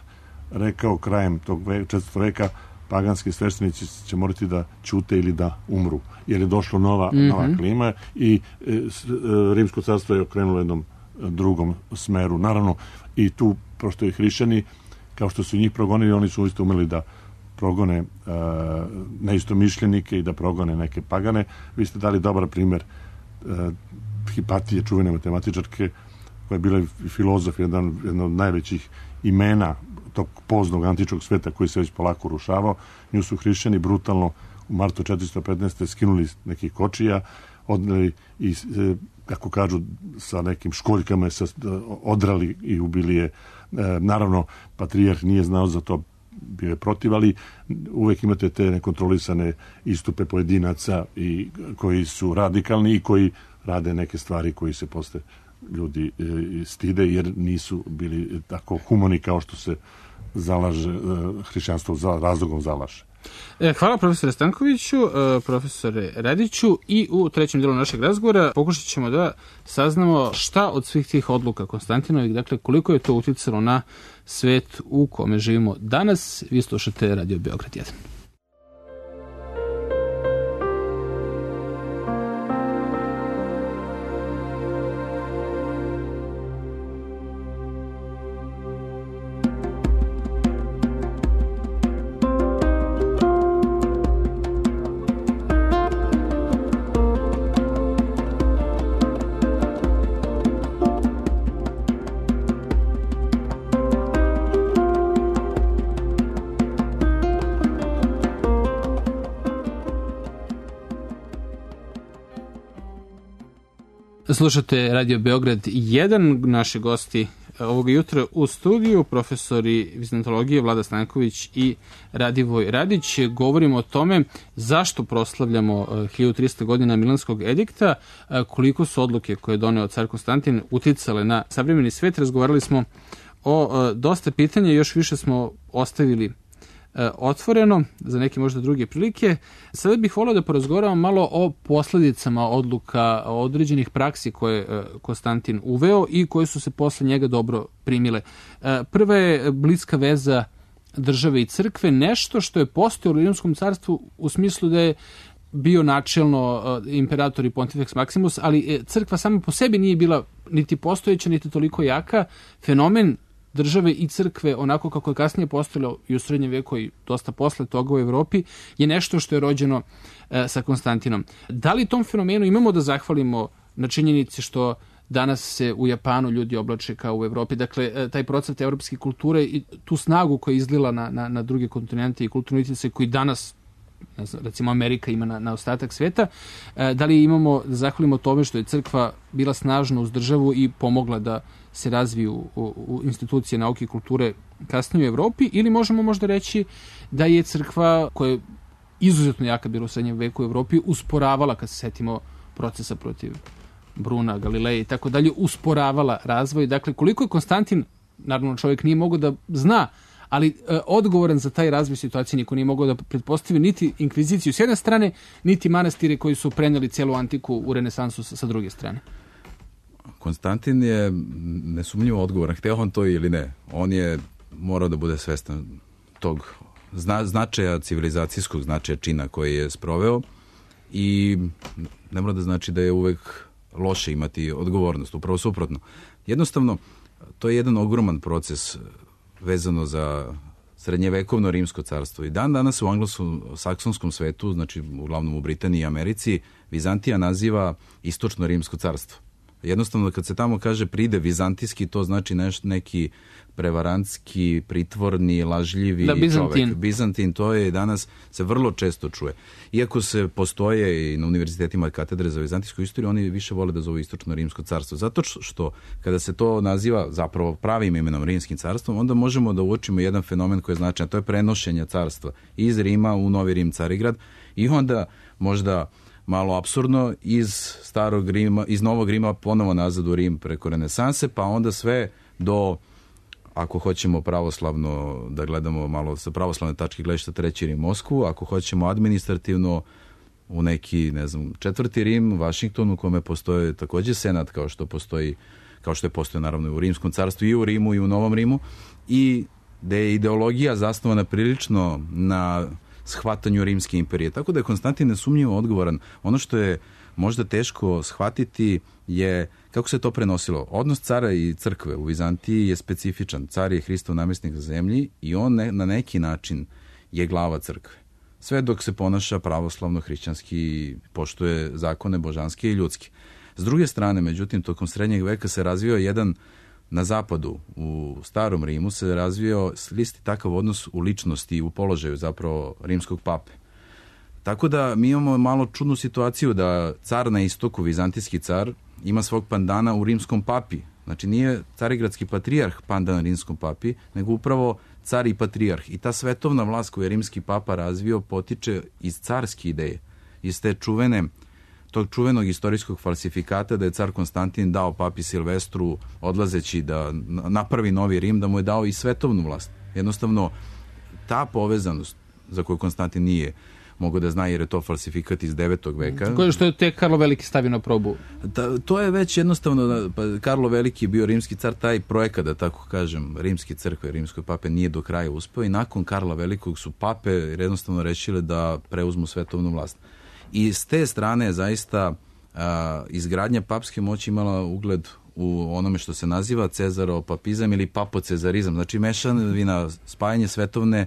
rekao krajem tog 4. veka paganski sveštenici će morati da ćute ili da umru, jer je došla nova klima i Rimsko carstvo je okrenulo jednom drugom smeru. Naravno, i tu, prosto i hrišćani, kao što su njih progonili, oni su isto umeli da progone neistomišljenike i da progone neke pagane. Vi ste dali dobar primjer Hipatije, čuvene matematičarke, koja je bila filozof, jedan od najvećih imena tog poznog antičkog sveta koji se već polako rušavao. Nju su hrišćani brutalno u martu 415. skinuli nekih kočija, odneli i, kako kažu, sa nekim školjkama odrali i ubili je. Naravno, patrijarh nije znao za to, bio je protiv, ali uvek imate te nekontrolisane istupe pojedinaca i koji su radikalni i koji rade neke stvari koji se posle ljudi stide, jer nisu bili tako humani kao što se zalaže hrišćanstvo razlogom zalaže. Hvala profesore Stankoviću, profesore Radiću, i u trećem delu našeg razgovora pokušat ćemo da saznamo šta od svih tih odluka Konstantinovih, dakle koliko je to uticalo na svet u kome živimo danas. Vi slušate Radio Beograd 1. Slušate Radio Beograd 1, naši gosti ovog jutra u studiju, profesori vizantologije Vlada Stanković i Radivoj Radić. Govorimo o tome zašto proslavljamo 1300 godina Milanskog edikta, koliko su odluke koje je doneo car Konstantin uticale na savremeni svet. Razgovarali smo o dosta pitanja, još više smo ostavili otvoreno za neke možda druge prilike. Sada bih volio da porazgovaramo malo o posljedicama odluka, o određenih praksi koje Konstantin uveo i koje su se posle njega dobro primile. Prva je bliska veza države i crkve, nešto što je postojalo u Rimskom carstvu u smislu da je bio načelno imperator i Pontifex Maximus, ali crkva sama po sebi nije bila niti postojeća, niti toliko jaka. Fenomen države i crkve, onako kako je kasnije postojalo i u srednjem veku i dosta posle toga u Evropi, je nešto što je rođeno sa Konstantinom. Da li tom fenomenu imamo da zahvalimo na činjenici što danas se u Japanu ljudi oblače kao u Evropi? Dakle, taj procvat evropske kulture i tu snagu koja je izlila na druge kontinente i kulturne utjecaje koji danas, recimo Amerika ima na ostatak sveta, da li imamo da zahvalimo tome što je crkva bila snažna uz državu i pomogla da se razviju u institucije nauke i kulture kasnije u Evropi, ili možemo možda reći da je crkva, koja je izuzetno jaka bila u srednjem veku u Evropi, usporavala, kad se setimo procesa protiv Bruna, Galileja i tako dalje, usporavala razvoj. Dakle, koliko je Konstantin, naravno čovjek nije mogao da zna, ali odgovoran za taj razvoj situacije niko nije mogao da pretpostavi niti inkviziciju s jedne strane, niti manastire koji su preneli cijelu antiku u renesansu sa druge strane. Konstantin je nesumnjivo odgovoran, hteo on to ili ne. On je morao da bude svestan tog značaja, civilizacijskog značaja čina koji je sproveo i ne mora da znači da je uvek loše imati odgovornost, upravo suprotno. Jednostavno, to je jedan ogroman proces vezano za srednjevekovno rimsko carstvo. I danas u anglosaksonskom svetu, znači uglavnom u Britaniji i Americi, Vizantija naziva istočno rimsko carstvo. Jednostavno, kad se tamo kaže pride vizantijski, to znači neki prevarantski, pritvorni, lažljivi čovek. Bizantin, to je danas se vrlo često čuje. Iako se postoje i na univerzitetima katedre za vizantijsku istoriju, oni više vole da zovu istočno rimsko carstvo. Zato što kada se to naziva zapravo pravim imenom rimskim carstvom, onda možemo da uočimo jedan fenomen koji je značajan, to je prenošenje carstva iz Rima u Novi Rim, Carigrad, i onda možda malo apsurdno iz starog Rima, iz Novog Rima ponovo nazad u Rim preko renesanse, pa onda sve do, ako hoćemo pravoslavno da gledamo malo sa pravoslavne tačke gledišta, Treći Rim, Moskvu, ako hoćemo administrativno u neki, ne znam, Četvrti Rim, Vašington, u kome postoje takođe senat kao što je postoje naravno u Rimskom carstvu i u Rimu i u Novom Rimu, i da je ideologija zasnovana prilično na shvatanju Rimske imperije. Tako da je Konstantin nesumnjivo odgovoran. Ono što je možda teško shvatiti je kako se to prenosilo. Odnos cara i crkve u Vizantiji je specifičan. Car je Hristov namjesnik na zemlji i on na neki način je glava crkve. Sve dok se ponaša pravoslavno, hrišćanski, poštuje zakone božanske i ljudske. S druge strane, međutim, tokom srednjeg veka se razvio jedan, na zapadu, u starom Rimu se razvio isti takav odnos u ličnosti i u položaju zapravo rimskog pape. Tako da mi imamo malo čudnu situaciju da car na istoku, vizantijski car, ima svog pandana u rimskom papi. Znači nije carigradski patrijarh pandan rimskom papi, nego upravo car i patrijarh. I ta svetovna vlast koju je rimski papa razvio potiče iz carske ideje, iz te tog čuvenog istorijskog falsifikata da je car Konstantin dao papi Silvestru, odlazeći da napravi Novi Rim, da mu je dao i svetovnu vlast. Jednostavno, ta povezanost za koju Konstantin nije mogu da zna, jer je to falsifikat iz 9. veka. Koje što je tek Karlo Veliki stavio na probu? To je već jednostavno, Karlo Veliki je bio rimski car, taj projekat, da tako kažem, rimske crkve, rimskoj pape nije do kraja uspeo i nakon Karla Velikog su pape jednostavno rešile da preuzmu svetovnu vlast. I s te strane je zaista izgradnja papske moći imala ugled u onome što se naziva cezaropapizam ili papocezarizam, znači mešavina, spajanje svetovne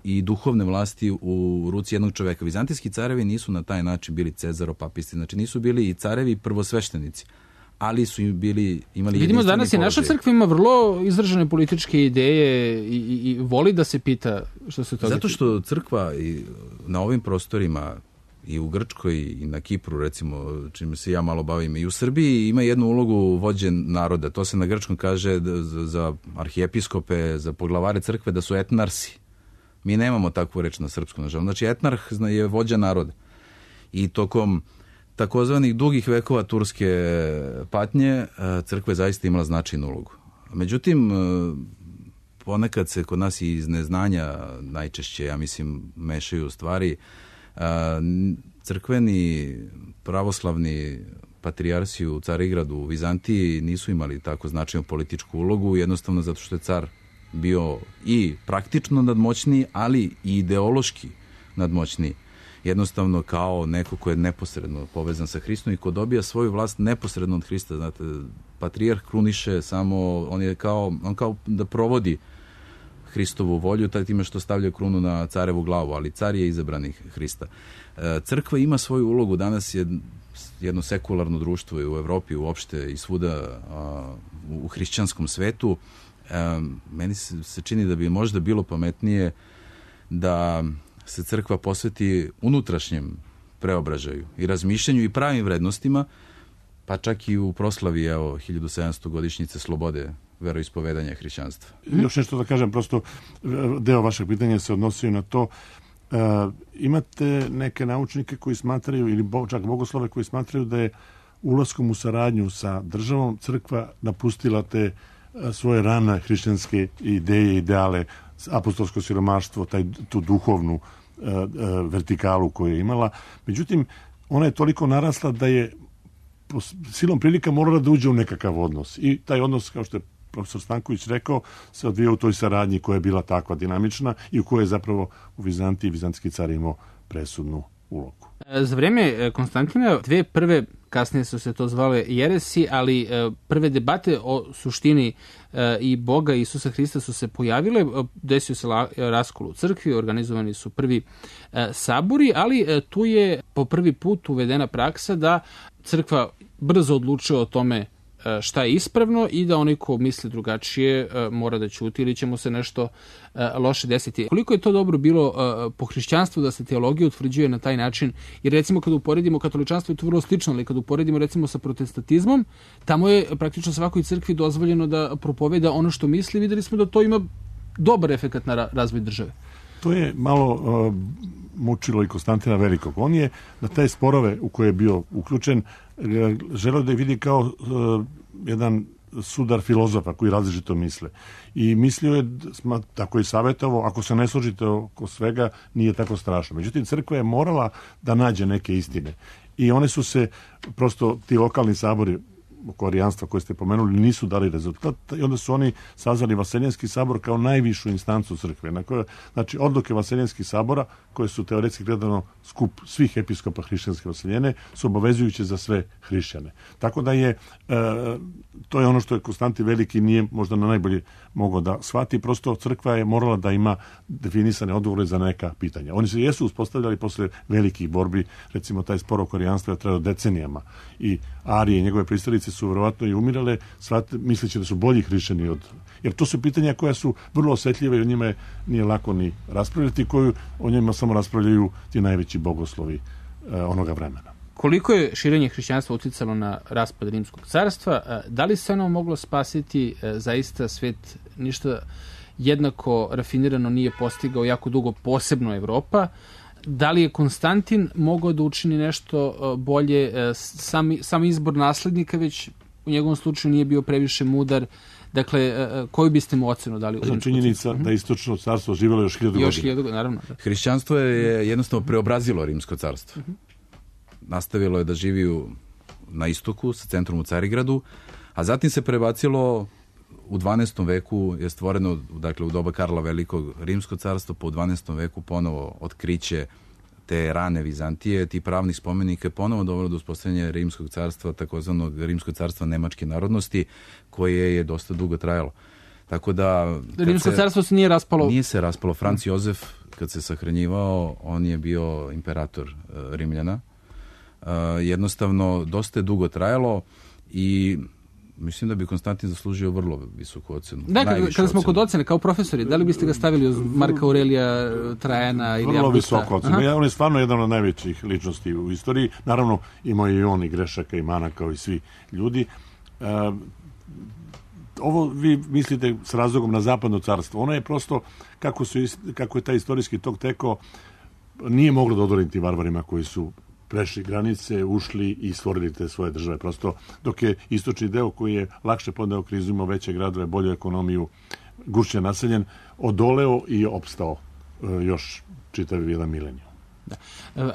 i duhovne vlasti u ruci jednog čoveka. Vizantijski carevi nisu na taj način bili cezaropapisti, znači nisu bili i carevi prvosveštenici, ali su imali jedinstveni položaj. Vidimo danas i naša crkva ima vrlo izražene političke ideje i voli da se pita što se toga. Zato što crkva na ovim prostorima i u Grčkoj i na Kipru, recimo, čime se ja malo bavim, i u Srbiji ima jednu ulogu vođe naroda. To se na grčkom kaže za arhijepiskope, za poglavare crkve, da su etnarsi. Mi nemamo takvu reč na srpskom, nažalost. Znači, etnarh je vođa naroda. I tokom takozvanih dugih vekova turske patnje, crkva je zaista imala značajnu ulogu. Međutim, ponekad se kod nas iz neznanja najčešće, ja mislim, mešaju stvari. Crkveni, pravoslavni patrijarsi u Carigradu, u Vizantiji nisu imali tako značajnu političku ulogu, jednostavno zato što je car bio i praktično nadmoćniji, ali i ideološki nadmoćniji. jednostavno kao neko ko je neposredno povezan sa Hristom i ko dobija svoju vlast neposredno od Hrista. Znate, patrijarh kruniše samo, on kao da provodi Hristovu volju, taj time što stavlja krunu na carevu glavu, ali car je izabrani Hrista. Crkva ima svoju ulogu, danas je jedno sekularno društvo i u Evropi uopšte i svuda u hrišćanskom svetu. Meni se čini da bi možda bilo pametnije da se crkva posveti unutrašnjem preobražaju i razmišljanju i pravim vrednostima, pa čak i u proslavi 1700 godišnjice slobode veroispovedanja hrišćanstva. Još nešto da kažem, prosto deo vašeg pitanja se odnosio na to. Imate neke naučnike koji smatraju, ili čak bogoslove koji smatraju da je ulaskom u saradnju sa državom crkva napustila te svoje rane hrišćanske ideje, ideale, apostolsko siromaštvo, tu duhovnu vertikalu koju je imala. Međutim, ona je toliko narasla da je po silom prilika morala da uđe u nekakav odnos. I taj odnos, kao što je profesor Stanković rekao, se odvija u toj saradnji koja je bila takva dinamična i u kojoj je zapravo u Vizantiji vizantijski car imao presudnu ulogu. Za vreme Konstantina dve prve, kasnije su se to zvale jeresi, ali prve debate o suštini i Boga Isusa Hrista su se pojavile, desio se raskol u crkvi, organizovani su prvi sabori, ali tu je po prvi put uvedena praksa da crkva brzo odlučuje o tome šta je ispravno i da onaj ko misli drugačije mora da ćuti ili će mu se nešto loše desiti. Koliko je to dobro bilo po hrišćanstvu da se teologija utvrđuje na taj način, jer recimo kada uporedimo katoličanstvo je to vrlo slično, ali kada uporedimo recimo sa protestantizmom, tamo je praktično svakoj crkvi dozvoljeno da propoveda ono što misli, videli smo da to ima dobar efekat na razvoj države. To je malo mučilo i Konstantina Velikog. On je na te sporove u koje je bio uključen želeo da je vidi kao jedan sudar filozofa koji različito misle. I mislio je, tako je savjetovao, ako se ne složite oko svega, nije tako strašno. Međutim, crkva je morala da nađe neke istine. I one su se, prosto ti lokalni sabori oko arijanstva koje ste pomenuli nisu dali rezultat i onda su oni sazvali Vaseljenski sabor kao najvišu instancu crkve. Znači, odluke Vaseljenskih sabora, koje su teoretski gledano skup svih episkopa hrišćanske Vaseljene, su obavezujuće za sve hrišćane. Tako da je, to je ono što je Konstantin Veliki nije možda na najbolje mogao da shvati. Prosto crkva je morala da ima definisane odgovore za neka pitanja. Oni se jesu uspostavljali posle velikih borbi, recimo taj spor oko arijanstva je trajao decenijama i Arije i njegove pristalice su verovatno i umirale, misleći da su bolji hrišćani jer to su pitanja koja su vrlo osetljive i o njima nije lako ni raspravljati, koju o njima samo raspravljaju ti najveći bogoslovi onoga vremena. Koliko je širenje hrišćanstva uticalo na raspad Rimskog carstva? Da li se ono moglo spasiti? Zaista svet ništa jednako rafinirano nije postigao jako dugo, posebno Evropa. Da li je Konstantin mogao da učini nešto bolje? Sam izbor naslednika već u njegovom slučaju nije bio previše mudar. Dakle, koju biste mu ocenu dali? Činjenica da istočno carstvo živjelo još 1000 godina. Još 1000 godina, naravno. Da. Hrišćanstvo je jednostavno preobrazilo Rimsko carstvo. Nastavilo je da živi na istoku, sa centrom u Carigradu, a zatim se prebacilo u 12. veku, je stvoreno, dakle, u doba Karla Velikog Rimsko carstvo, po 12. veku ponovo otkriće te rane Vizantije, ti pravnih spomenika je ponovo dovelo do uspostavljanja Rimskog carstva, takozvanog Rimskog carstva nemačke narodnosti, koje je dosta dugo trajalo. Tako da... Rimsko carstvo se nije raspalo? Nije se raspalo. Franc Jozef, kad se sahranjivao, on je bio imperator Rimljana. Jednostavno, dosta je dugo trajalo i mislim da bi Konstantin zaslužio vrlo visoku ocenu. Da, kada smo kod ocene, kao profesori, da li biste ga stavili uz Marka Aurelija, Trajana ili Augusta? Vrlo visoko ocenu. On je stvarno jedan od najvećih ličnosti u istoriji. Naravno, imao je i on i grešaka i mana kao i svi ljudi. Ovo vi mislite s razlogom na zapadno carstvo. Ono je prosto, kako je taj istorijski tok tekao, nije moglo da odoliti varvarima koji su prešli granice, ušli i stvorili te svoje države. Prosto, dok je istočni deo koji je lakše podneo krizu, imao veće gradove, bolju ekonomiju, gušće naseljen, odoleo i opstao još čitav jedan milenijum. Da.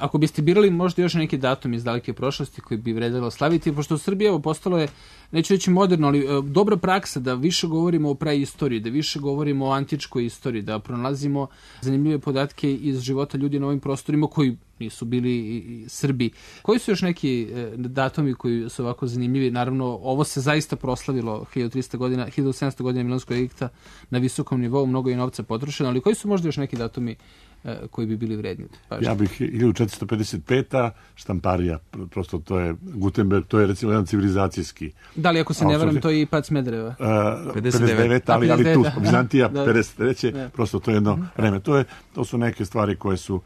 Ako biste birali možda još neki datum iz daleke prošlosti koji bi vredelo slaviti, pošto u Srbiji postalo je neću reći moderno, ali dobra praksa da više govorimo o praistoriji, da više govorimo o antičkoj istoriji, da pronalazimo zanimljive podatke iz života ljudi na ovim prostorima koji nisu bili Srbi. Koji su još neki datumi koji su ovako zanimljivi? Naravno, ovo se zaista proslavilo 1700 godina Milanskog edikta na visokom nivou, mnogo je novca potrošeno, ali koji su možda još neki datumi koji bi bili vredni? Ja bih 1455. štamparija, prosto to je Gutenberg, to je recimo jedan civilizacijski. Da li, ako se ne varam, to je i pad Smedereva? 59, ali tu Bizantija 53. Prosto to je jedno vreme. To su neke stvari koje su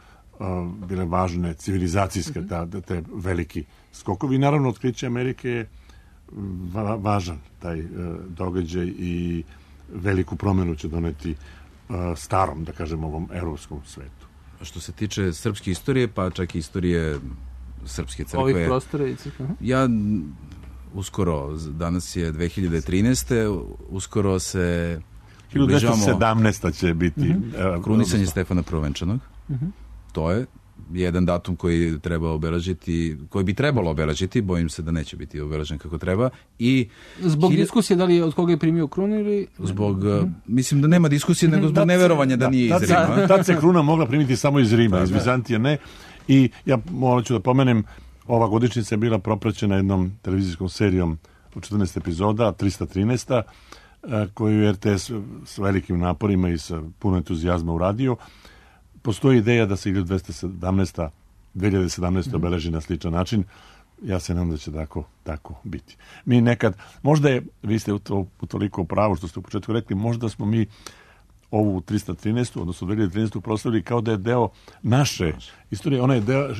bile važne, civilizacijske, te veliki skokovi. Naravno, otkriće Amerike je važan taj događaj i veliku promjenu će doneti starom, da kažem, ovom evropskom svetu. Što se tiče srpske istorije, pa čak i istorije srpske crkve. Ovih prostora i crkve. Ja uskoro, danas je 2013. Uskoro se 1917. će biti krunisanje Stefana Prvenčanog. To je jedan datum koji treba obeležiti, koji bi trebalo obeležiti, bojim se da neće biti obeležen kako treba. I zbog diskusije da li od koga je primio krunu ili... Zbog, mislim da nema diskusije, nego zbog neverovanja da nije iz Rima. Tad se kruna mogla primiti samo iz Rima, iz Bizantije ne. I ja morat ću da pomenem, ova godišnjica je bila propraćena jednom televizijskom serijom u 14 epizoda, 313. koju je RTS s velikim naporima i sa puno entuzijazma uradio. Postoji ideja da se 2017. obeleži na sličan način. Ja se nadam da će tako biti. Mi nekad, možda je, vi ste u toliko pravu što ste u početku rekli, možda smo mi ovu 313. odnosno 2013. proslavili kao da je deo naše istorije. Ona je deo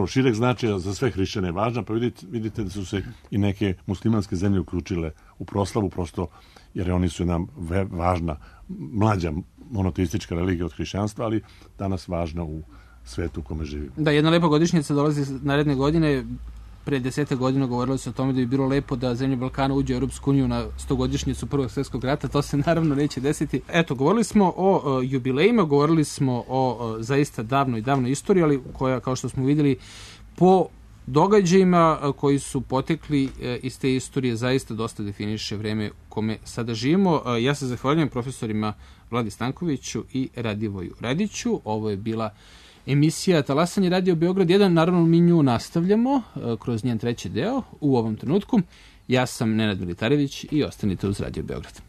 šireg značaja za sve hrišćane važna, pa vidite da su se i neke muslimanske zemlje uključile u proslavu, prosto jer oni su nam važna, mlađa monoteistička religija od hrišćanstva, ali danas važna u svetu u kome živimo. Da, jedna lepa godišnjica dolazi naredne godine. Pre 10 godina govorilo se o tome da bi bilo lepo da zemlje Balkana uđe u Europsku uniju na 100-godišnjicu Prvog svjetskog rata. To se naravno neće desiti. Eto, govorili smo o jubilejima, govorili smo o zaista davnoj istoriji, ali koja, kao što smo vidjeli, po događajima koji su potekli iz te istorije zaista dosta definiše vreme u kome sada živimo. Ja se zahvaljujem profesorima Vladi Stankoviću i Radivoju Radiću. Ovo je bila emisija Talasanje Radio Beograd 1. Naravno, mi nju nastavljamo kroz njen treći deo u ovom trenutku. Ja sam Nenad Militarević i ostanite uz Radio Beograd.